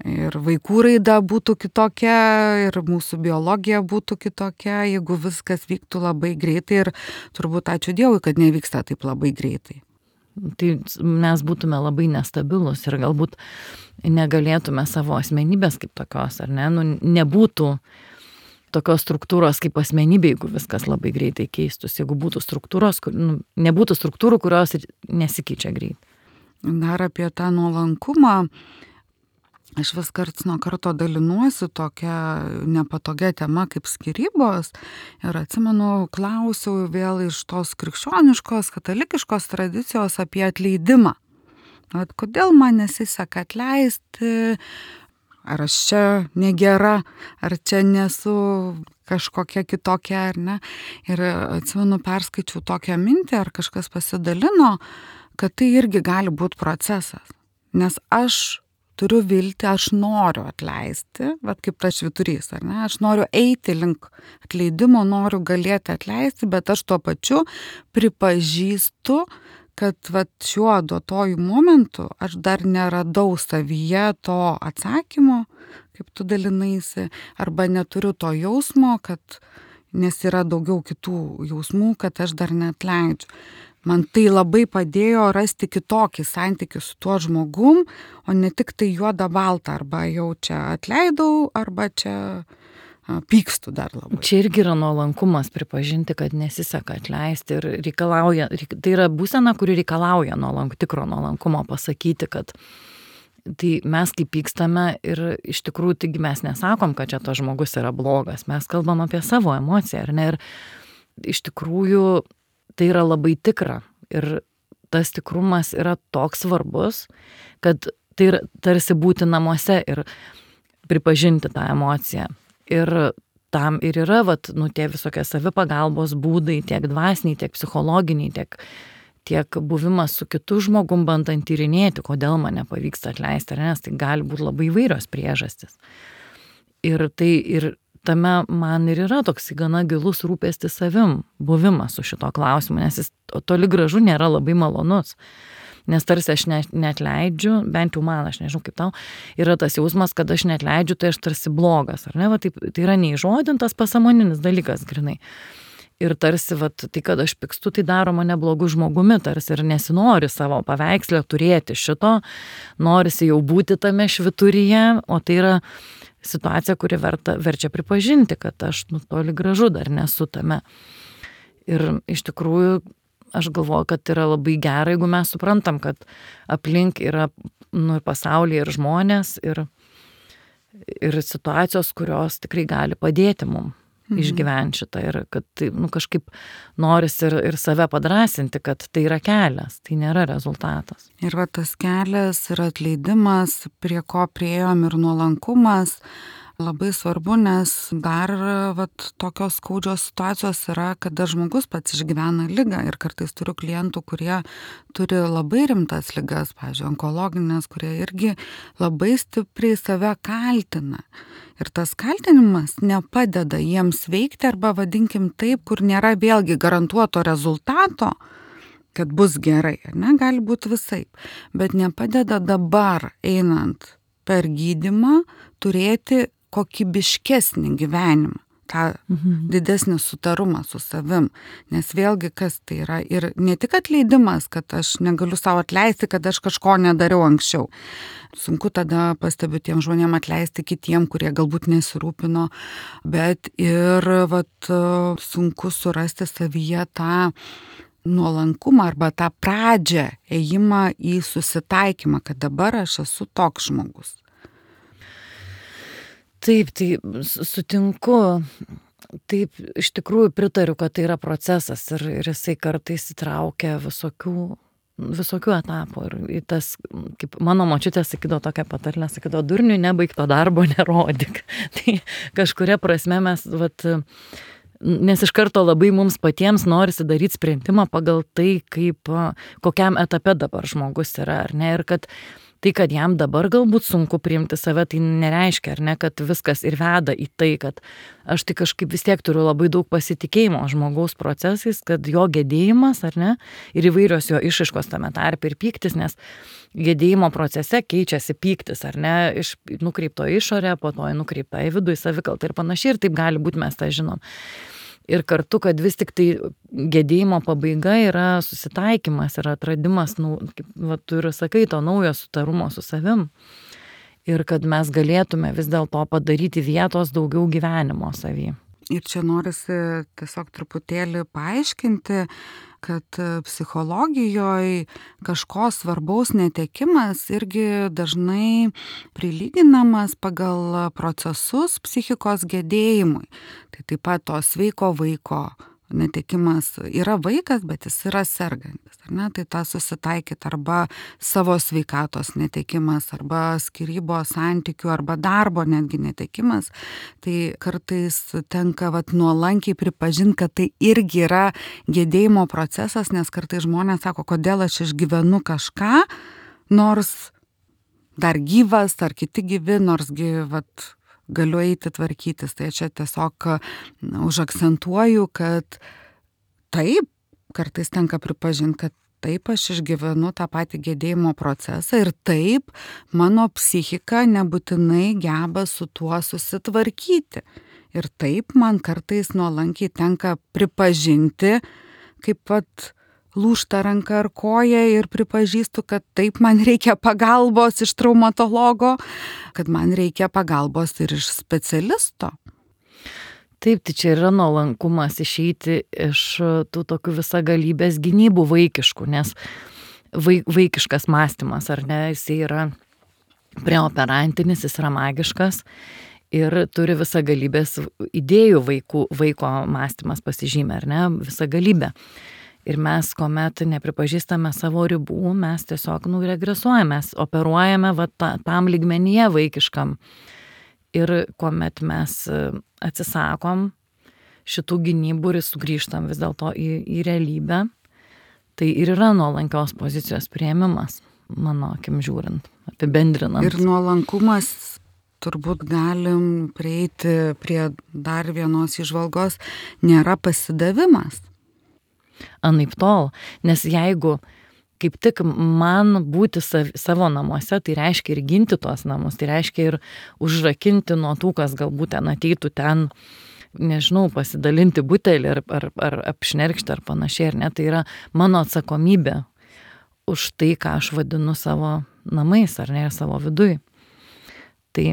ir vaikų raida būtų kitokia, ir mūsų biologija būtų kitokia, jeigu viskas vyktų labai greitai, ir turbūt ačiū Dievui, kad nevyksta taip labai greitai. Tai mes būtume labai nestabilus ir galbūt negalėtume savo asmenybės kaip tokios, ar ne, nu, nebūtų tokios struktūros kaip asmenybė, jeigu viskas labai greitai keistus, jeigu būtų struktūros, kur, nu, nebūtų struktūrų, kurios nesikeičia greit. Dar apie tą nuolankumą, aš vis karts nuo karto dalinuosi tokia nepatogia tema kaip skyrybos, ir atsimenu, klausiau vėl iš tos krikščioniškos, katalikiškos tradicijos apie atleidimą. At kodėl man nesiseka atleisti, ar aš čia negera, ar čia nesu kažkokia kitokia, ar ne. Ir atsimenu, perskaičiau tokią mintį, ar kažkas pasidalino, kad tai irgi gali būti procesas. Nes aš turiu viltį, aš noriu atleisti, vat kaip tas švyturys, ar ne. Aš noriu eiti link atleidimo, noriu galėti atleisti, bet aš tuo pačiu pripažįstu, kad vat šiuo duotojų momentu aš dar neradau savyje to atsakymo, kaip tu dalinaisi, arba neturiu to jausmo, kad, nes yra daugiau kitų jausmų, kad aš dar neatleidžiu. Man tai labai padėjo rasti kitokį santykį su tuo žmogum, o ne tik tai juoda balta, arba jau čia atleidau, arba čia pykstu dar labai. Čia irgi yra nuolankumas pripažinti, kad nesiseka atleisti ir reikalauja, tai yra būsena, kuri reikalauja nuolank, tikro nuolankumo pasakyti, kad tai mes kaip pykstame ir iš tikrųjų taigi mes nesakom, kad čia tas žmogus yra blogas, mes kalbam apie savo emociją, ar ne, ir iš tikrųjų tai yra labai tikra ir tas tikrumas yra toks svarbus, kad tai yra tarsi būti namuose ir pripažinti tą emociją. Ir tam ir yra, vat, nu, tie visokie savipagalbos būdai, tiek dvasiniai, tiek psichologiniai, tiek, tiek buvimas su kitu žmogum bandant tyrinėti, kodėl man nepavyksta atleisti, nes tai gali būti labai įvairios priežastis. Ir tai ir tame man ir yra toks gana gilus rūpestis savim, buvimas su šito klausimu, nes jis toli gražu nėra labai malonus. Nes tarsi aš ne, neatleidžiu, bent jau man, aš nežinau kaip tau, yra tas jausmas, kad aš neatleidžiu, tai aš tarsi blogas, ar ne, va, taip, tai yra neįžodintas pasąmoninis dalykas, grinai. Ir tarsi, va, tai kad aš pykstu, tai daro mane blogu žmogumi, tarsi ir nesinori savo paveikslę turėti šito, norisi jau būti tame švyturyje, o tai yra situacija, kuri verta, verčia pripažinti, kad aš nu, toli gražu dar nesu tame. Ir iš tikrųjų, aš galvoju, kad yra labai gerai, jeigu mes suprantam, kad aplink yra nu, ir pasaulyje ir žmonės, ir, ir situacijos, kurios tikrai gali padėti mum mhm. išgyventi šitą. Ir kad tai, nu, kažkaip norisi ir, ir save padrasinti, kad tai yra kelias, tai nėra rezultatas. Ir va tas kelias ir atleidimas, prie ko priėjom, ir nuolankumas, labai svarbu, nes dar vat, tokios skaudžios situacijos yra, kada žmogus pats išgyvena ligą, ir kartais turiu klientų, kurie turi labai rimtas ligas, pavyzdžiui, onkologinės, kurie irgi labai stipriai save kaltina. Ir tas kaltinimas nepadeda jiems veikti, arba vadinkim taip, kur nėra vėlgi garantuoto rezultato, kad bus gerai, ne, gali būti visaip, bet nepadeda dabar einant per gydymą turėti kokybiškesnį gyvenimą, tą mhm. didesnį sutarumą su savim. Nes vėlgi kas tai yra, ir ne tik atleidimas, kad aš negaliu savo atleisti, kad aš kažko nedariau anksčiau. Sunku tada, pastebiu, tiem žmonėm atleisti kitiem, kurie galbūt nesirūpino, bet ir vat, sunku surasti savyje tą nuolankumą arba tą pradžią, ėjimą į susitaikymą, kad dabar aš esu toks žmogus. Taip, tai sutinku, taip, iš tikrųjų pritariu, kad tai yra procesas ir, ir jisai kartais įtraukia visokių, visokių etapų. Ir tas, kaip mano močiutė sakydavo tokią patarlę, sakydavo, durniui nebaigto darbo nerodyk. Tai kažkuria prasme mes, vat, Nes iš karto labai mums patiems norisi daryti sprendimą pagal tai, kaip, kokiam etape dabar žmogus yra, ar ne, ir kad tai, kad jam dabar galbūt sunku priimti save, tai nereiškia, ar ne, kad viskas ir veda į tai, kad aš tai kažkaip vis tiek turiu labai daug pasitikėjimo žmogaus procesais, kad jo gedėjimas, ar ne, ir įvairios jo išraiškos tame tarpe ir pyktis, nes gedėjimo procese keičiasi pyktis, ar ne, iš nukreipto išorę, po to nukreipta į vidų, į savikaltą ir panašiai, ir taip gali būti, mes tą žinom. Ir kartu, kad vis tik tai gedėjimo pabaiga yra susitaikymas, yra atradimas, nu, kaip va, tu ir sakai, to naujo sutarumo su savim. Ir kad mes galėtume vis dėlto padaryti vietos daugiau gyvenimo savy. Ir čia norisi tiesiog truputėlį paaiškinti, kad psichologijoje kažko svarbaus netekimas irgi dažnai prilyginamas pagal procesus psichikos gedėjimui. Tai taip pat to sveiko vaiko netekimas yra vaikas, bet jis yra sergantis. Ar ne? Tai tą susitaikyti arba savo sveikatos netekimas, arba skyrybos santykių, arba darbo netgi netekimas. Tai kartais tenka vat, nuolankiai pripažinti, kad tai irgi yra gedėjimo procesas, nes kartais žmonės sako, kodėl aš išgyvenu kažką, nors dar gyvas, ar kiti gyvi, nors gyvat galiu eiti tvarkytis. Tai čia tiesiog užakcentuoju, kad taip, kartais tenka pripažinti, kad taip aš išgyvenu tą patį gedėjimo procesą ir taip mano psichika nebūtinai geba su tuo susitvarkyti. Ir taip man kartais nuolankiai tenka pripažinti, kaip pat lūžta ranka ar koja ir pripažįstu, kad taip man reikia pagalbos iš traumatologo, kad man reikia pagalbos ir iš specialisto. Taip, tai čia yra nuolankumas išeiti iš tų tokių visagalybės gynybų vaikiškų, nes vaikiškas mąstymas, ar ne, jis yra preoperantinis, jis yra magiškas ir turi visagalybės idėjų vaikų, vaiko mąstymas pasižymė, ar ne, visagalybė. Ir mes, kuomet nepripažįstame savo ribų, mes tiesiog nu, regresuojame, mes operuojame va, ta, tam lygmenyje vaikiškam. Ir kuomet mes atsisakom šitų gynybų ir sugrįžtam vis dėlto į, į realybę, tai ir yra nuolankios pozicijos priėmimas, mano akim žiūrint, apibendrinant. Ir nuolankumas turbūt galim prieiti prie dar vienos įžvalgos, nėra pasidavimas. Anaip tol, nes jeigu kaip tik man būti sav, savo namuose, tai reiškia ir ginti tuos namus, tai reiškia ir užrakinti nuo tų, kas galbūt ten ateitų ten, nežinau, pasidalinti butelį ar, ar, ar apšnerkšti ar panašiai, ar ne, tai yra mano atsakomybė už tai, ką aš vadinu savo namais, ar ne, ir savo viduj. Tai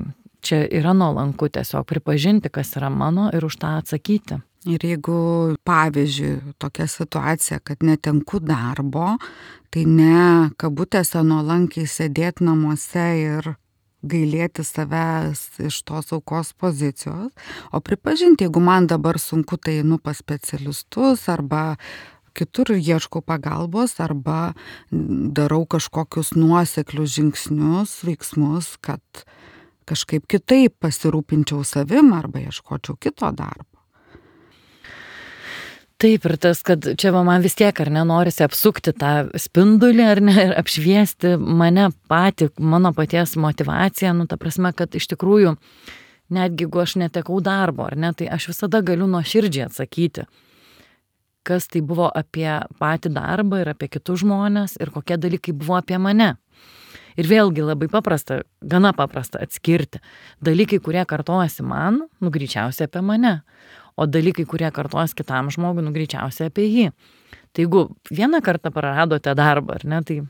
čia yra nuolanku tiesiog pripažinti, kas yra mano ir už tą atsakyti. Ir jeigu, pavyzdžiui, tokia situacija, kad netenku darbo, tai ne kabutėse nuolankiai sėdėti namuose ir gailėti savęs iš tos aukos pozicijos, o pripažinti, jeigu man dabar sunku, tai einu pas specialistus arba kitur ieškau pagalbos arba darau kažkokius nuoseklius žingsnius, veiksmus, kad kažkaip kitaip pasirūpinčiau savim arba ieškočiau kito darbo. Taip, ir tas, kad čia man vis tiek, ar ne, norisi apsukti tą spindulį, ar ne, ir apšviesti mane patį, mano paties motivaciją, nu, ta prasme, kad iš tikrųjų, netgi jeigu aš netekau darbo, ar ne, tai aš visada galiu nuoširdžiai atsakyti, kas tai buvo apie patį darbą ir apie kitus žmonės ir kokie dalykai buvo apie mane. Ir vėlgi labai paprasta, gana paprasta atskirti dalykai, kurie kartojasi man, nu, greičiausiai apie mane. O dalykai, kurie kartuos kitam žmogui, nu, greičiausiai apie jį. Tai jeigu vieną kartą praradote darbą, ar ne, tai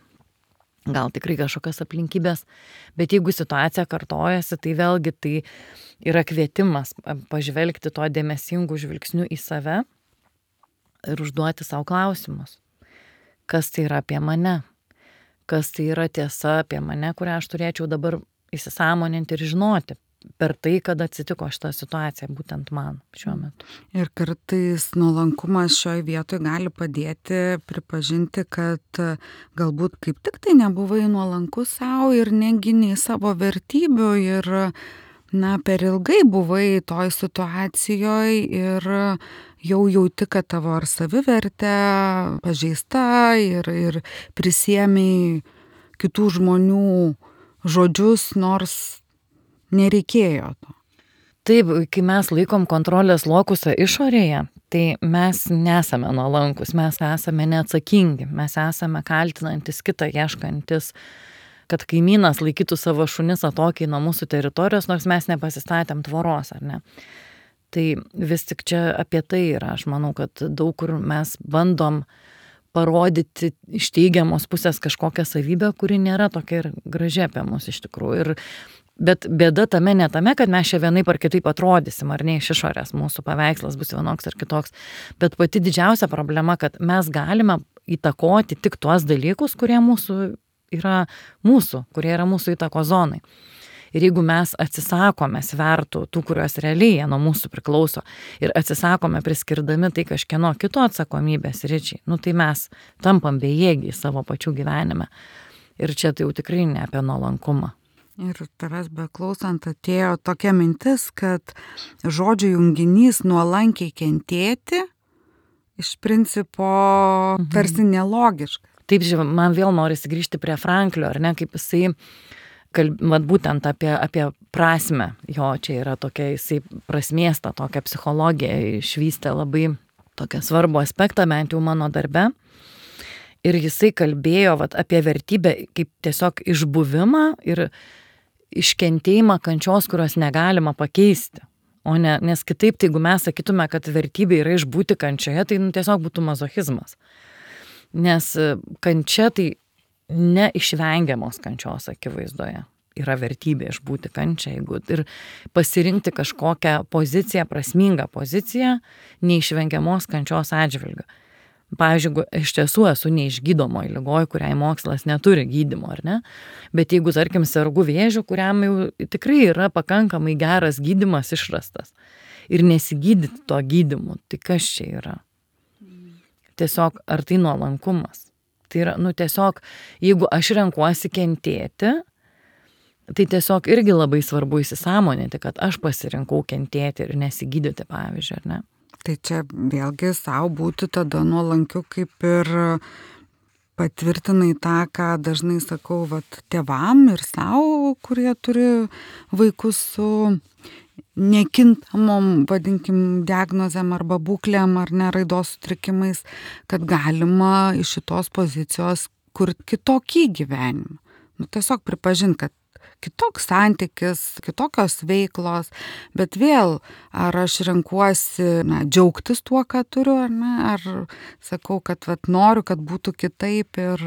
gal tikrai kažkokios aplinkybės, bet jeigu situacija kartojasi, tai vėlgi tai yra kvietimas pažvelgti to dėmesingų žvilgsnių į save ir užduoti savo klausimus. Kas tai yra apie mane? Kas tai yra tiesa apie mane, kurią aš turėčiau dabar įsisąmoninti ir žinoti per tai, kad atsitiko šitą situaciją būtent man šiuo metu. Ir kartais nuolankumas šioje vietoje gali padėti pripažinti, kad galbūt kaip tik tai nebuvai nuolankus savo ir neginiai savo vertybių ir na, per ilgai buvai toj situacijoje ir jau jauti, kad tavo ar savivertė pažeista ir, ir prisiėmei kitų žmonių žodžius, nors nereikėjo to. Taip, kai mes laikom kontrolės lokusą išorėje, tai mes nesame nuolankus, mes esame neatsakingi, mes esame kaltinantis kitą, ieškantis, kad kaimynas laikytų savo šunis atokiai nuo mūsų teritorijos, nors mes nepasistatėm tvoros, ar ne. Tai vis tik čia apie tai yra, aš manau, kad daug kur mes bandom parodyti iš teigiamos pusės kažkokią savybę, kuri nėra tokia ir graži apie mus iš tikrųjų. Ir bet bėda tame ne tame, kad mes čia vienaip ar kitaip atrodysim, ar ne iš išorės mūsų paveikslas bus vienoks ar kitoks, bet pati didžiausia problema, kad mes galime įtakoti tik tuos dalykus, kurie mūsų yra mūsų, kurie yra mūsų įtako zonai. Ir jeigu mes atsisakome svertų, tų, kurios realiai nuo mūsų priklauso, ir atsisakome priskirdami tai kažkieno kito atsakomybės ryčiai, nu tai mes tampam bejėgiai savo pačių gyvenime. Ir čia tai jau tikrai ne apie nuolankumą. Ir tavęs beklausant atėjo tokia mintis, kad žodžių junginys nuolankiai kentėti iš principo mhm. tarsi nelogiškas. Taip, žiūrėjau, man vėl norisi grįžti prie Franklio, ar ne, kaip jisai, kalb, vat būtent apie, apie prasmę, jo čia yra tokia, jisai prasmės tą tokią psichologiją išvystė labai tokią svarbų aspektą, bent jau mano darbe. Ir jisai kalbėjo vat, apie vertybę kaip tiesiog išbuvimą ir iškentėjimą kančios, kurios negalima pakeisti. O ne, nes kitaip, tai jeigu mes sakytume, kad vertybė yra išbūti kančioje, tai nu, tiesiog būtų mazochizmas. Nes kančia tai neišvengiamos kančios akivaizdoje. Yra vertybė išbūti kančią, jeigu ir pasirinkti kažkokią poziciją, prasmingą poziciją, neišvengiamos kančios atžvilgiu. Pavyzdžiui, jeigu iš tiesų esu neišgydomoj ligoj, kuriai mokslas neturi gydymo, ar ne? Bet jeigu, tarkim, sergu vėžiu, kuriam jau tikrai yra pakankamai geras gydymas išrastas ir nesigydyti to gydymu, tai kas čia yra? Tiesiog, ar tai nuolankumas? Tai yra, nu tiesiog, jeigu aš renkuosi kentėti, tai tiesiog irgi labai svarbu įsisąmoninti, kad aš pasirinkau kentėti ir nesigydyti, pavyzdžiui, ar ne? Tai čia vėlgi savo būti tada nuolankiu, kaip ir patvirtinai tą, ką dažnai sakau, vat, tėvam ir savo, kurie turi vaikus su nekintamom, vadinkim, diagnozėm arba būklėm ar ne raidos sutrikimais, kad galima iš šitos pozicijos kurti kitokį gyvenimą. Nu, tiesiog pripažinti, kad kitoks santykis, kitokios veiklos, bet vėl, ar aš renkuosi na, džiaugtis tuo, ką turiu, ar ne, ar sakau, kad vat, noriu, kad būtų kitaip ir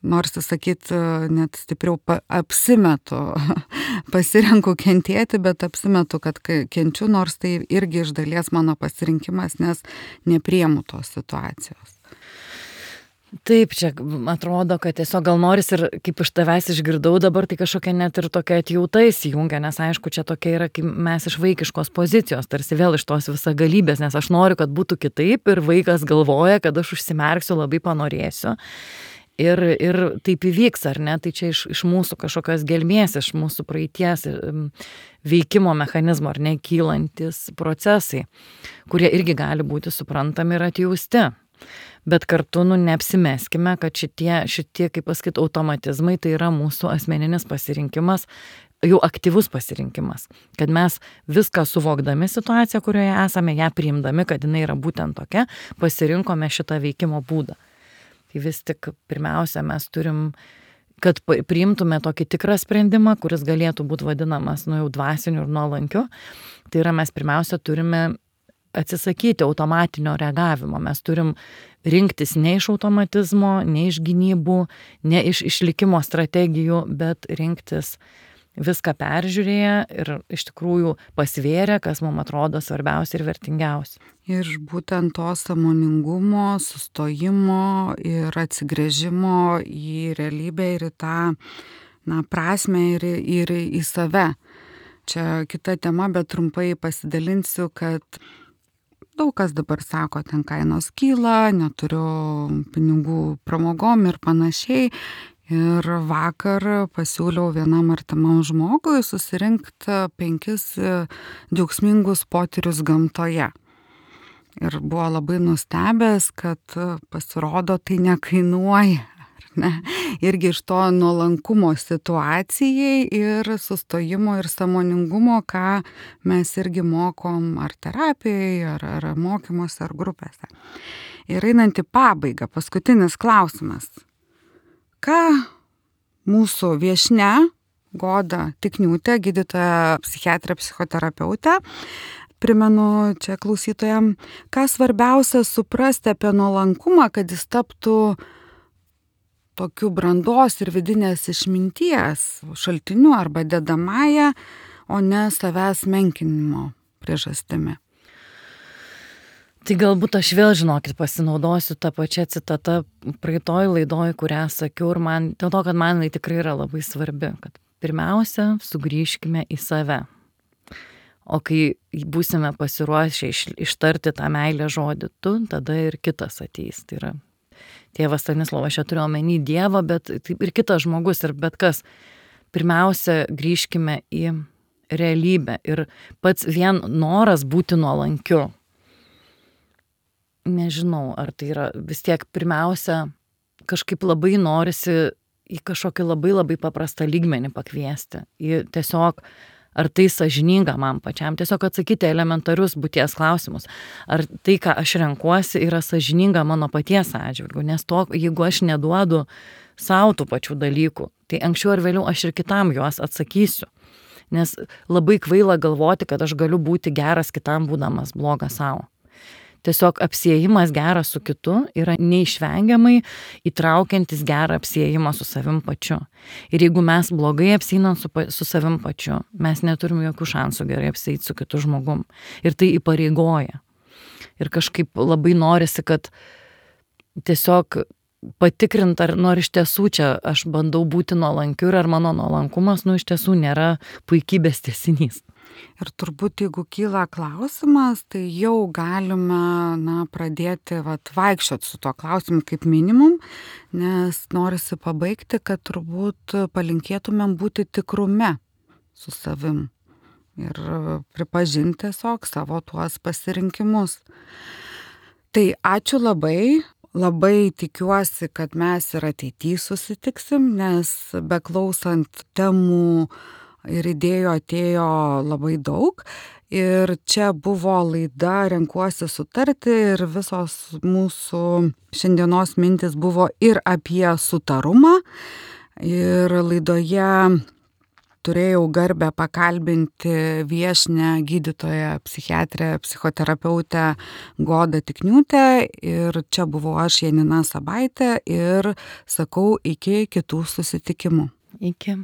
norisi sakyti, net stipriau apsimetu, pasirenku kentėti, bet apsimetu, kad kenčiu, nors tai irgi iš dalies mano pasirinkimas, nes nepriemu tos situacijos. Taip, čia atrodo, kad tiesiog gal noris ir kaip iš tavęs išgirdau dabar, tai kažkokia net ir tokia atjauta įsijungia, nes aišku, čia tokia yra, kaip mes iš vaikiškos pozicijos, tarsi vėl iš tos visagalybės, nes aš noriu, kad būtų kitaip ir vaikas galvoja, kad aš užsimerksiu, labai panorėsiu. Ir, ir taip įvyks, ar ne, tai čia iš, iš mūsų kažkokios gelmės, iš mūsų praeities veikimo mechanizmo, ar ne, kylantis procesai, kurie irgi gali būti suprantami ir atjausti. Bet kartu, nu, neapsimeskime, kad šitie, šitie, kaip pasakyti, automatizmai, tai yra mūsų asmeninis pasirinkimas, jau aktyvus pasirinkimas. Kad mes viską suvokdami situaciją, kurioje esame, ją priimdami, kad jinai yra būtent tokia, pasirinkome šitą veikimo būdą. Tai vis tik pirmiausia, mes turim, kad priimtume tokį tikrą sprendimą, kuris galėtų būti vadinamas, nu, jau dvasiniu ir nuolankiu. Tai yra, mes pirmiausia turime atsisakyti automatinio reagavimo. Mes turim rinktis ne iš automatizmo, ne iš gynybų, ne iš išlikimo strategijų, bet rinktis viską peržiūrėję ir iš tikrųjų pasvėrę, kas mums atrodo svarbiausia ir vertingiausia. Ir būtent to sąmoningumo, sustojimo ir atsigręžimo į realybę ir į tą na, prasmę ir, ir į save. Čia kita tema, bet trumpai pasidalinsiu, kad daug kas dabar sako, ten kainos kyla, neturiu pinigų pramogom ir panašiai. Ir vakar pasiūliau vienam artimam žmogui susirinkti penkis džiaugsmingus potyrius gamtoje. Ir buvo labai nustebęs, kad pasirodo tai nekainuoja. Ne? Irgi iš to nuolankumo situacijai ir sustojimo ir sąmoningumo, ką mes irgi mokom ar terapijoje, ar, ar mokymuose, ar grupėse. Ir einant į pabaigą, paskutinis klausimas. Ką mūsų viešnia Goda Tikniūtė, gydytoja psichiatrė, psichoterapeutė, primenu čia klausytojam, ką svarbiausia suprasti apie nuolankumą, kad jis taptų tokiu brandos ir vidinės išminties šaltiniu arba dedamąja, o ne savęs menkinimo priežastimi. Tai galbūt aš vėl, žinokit, pasinaudosiu tą pačią citatą praeitoj laidoj, kurią sakiau, ir man, dėl to, kad man tai tikrai yra labai svarbi, kad pirmiausia, sugrįžkime į save. O kai būsime pasiruošę iš, ištarti tą meilę žodį tu, tada ir kitas ateis. Tai yra tėvas Stanislovas, aš čia turiu omeny Dievą, bet taip ir kitas žmogus, ir bet kas. Pirmiausia, grįžkime į realybę ir pats vien noras būti nuolankiu. Nežinau, ar tai yra vis tiek pirmiausia, kažkaip labai norisi į kažkokį labai labai paprastą lygmenį pakviesti. Į tiesiog, ar tai sąžininga man pačiam, tiesiog atsakyti elementarius būties klausimus. Ar tai, ką aš renkuosi, yra sąžininga mano paties atžvilgiu, nes to, jeigu aš neduodu savo tų pačių dalykų, tai anksčiau ar vėliau aš ir kitam juos atsakysiu. Nes labai kvaila galvoti, kad aš galiu būti geras kitam, būdamas blogas savo. Tiesiog apsiejimas geras su kitu yra neišvengiamai įtraukiantis gerą apsiejimą su savim pačiu. Ir jeigu mes blogai apsieinam su, su savim pačiu, mes neturim jokių šansų gerai apsieiti su kitu žmogum. Ir tai įpareigoja. Ir kažkaip labai norisi, kad tiesiog patikrint, ar nu, ar iš tiesų čia aš bandau būti nuolankiu ir ar mano nuolankumas, nu, iš tiesų nėra puikybės tęsinys. Ir turbūt, jeigu kyla klausimas, tai jau galime na, pradėti vat, vaikščioti su tuo klausimu kaip minimum, nes norisi pabaigti, kad turbūt palinkėtumėm būti tikrume su savim ir pripažinti tiesiog savo tuos pasirinkimus. Tai ačiū labai. Labai tikiuosi, kad mes ir ateityje susitiksim, nes beklausant temų ir idėjų atėjo labai daug. Ir čia buvo laida Renkuosi sutarti ir visos mūsų šiandienos mintis buvo ir apie sutarumą. Ir laidoje turėjau garbę pakalbinti viešnią gydytoją, psichiatrę, psichoterapeutę Godą Tikniūtę. Ir čia buvau aš, Janina Sabaitė, ir sakau iki kitų susitikimų. Iki.